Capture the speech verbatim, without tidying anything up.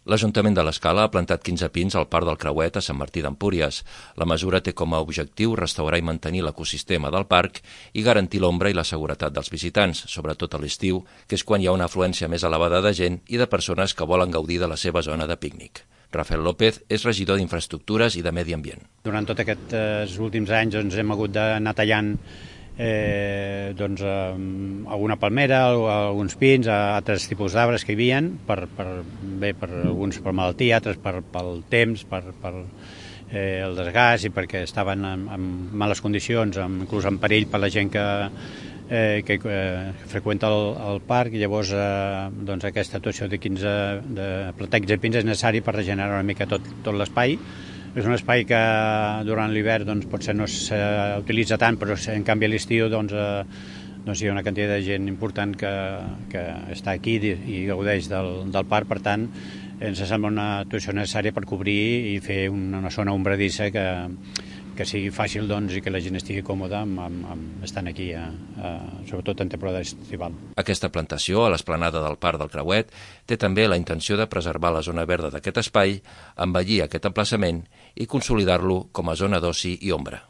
L'Ajuntament de l'Escala ha plantat quinze pins al Parc del Creuet a Sant Martí d'Empúries. La mesura té com a objectiu restaurar i mantenir l'ecosistema del parc i garantir l'ombra i la seguretat dels visitants, sobretot a l'estiu, que és quan hi ha una afluència més elevada de gent i de persones que volen gaudir de la seva zona de pícnic. Rafael López és regidor d'Infraestructures i de Medi Ambient. Durant tots aquests últims anys doncs, hem hagut d'anar tallant Eh, doncs, eh, alguna palmera, alguns pins, altres tipus d'arbres que hi havia, per, per, bé, per alguns per malaltia, altres per, pel temps, per, per eh, el desgast i perquè estaven en, en males condicions, en, inclús en perill per la gent que, eh, que eh, freqüenta el, el parc, i llavors eh, doncs aquesta actuació de quinze de plantar quinze pins és necessari per regenerar una mica tot, tot l'espai. És un espai que durant l'hivern doncs, potser no s'utilitza tant, però en canvi a l'estiu doncs, eh, doncs hi ha una quantitat de gent important que, que està aquí i, i gaudeix del, del parc. Per tant, ens sembla una actuació necessària per cobrir i fer una, una zona ombradissa que, que sigui fàcil doncs, i que la gent estigui còmoda amb, amb, amb estant aquí, a, a, sobretot en temporada estival. Aquesta plantació a l'esplanada del Parc del Creuet té també la intenció de preservar la zona verda d'aquest espai, embellir aquest emplaçament i consolidar-lo com a zona d'oci i ombra.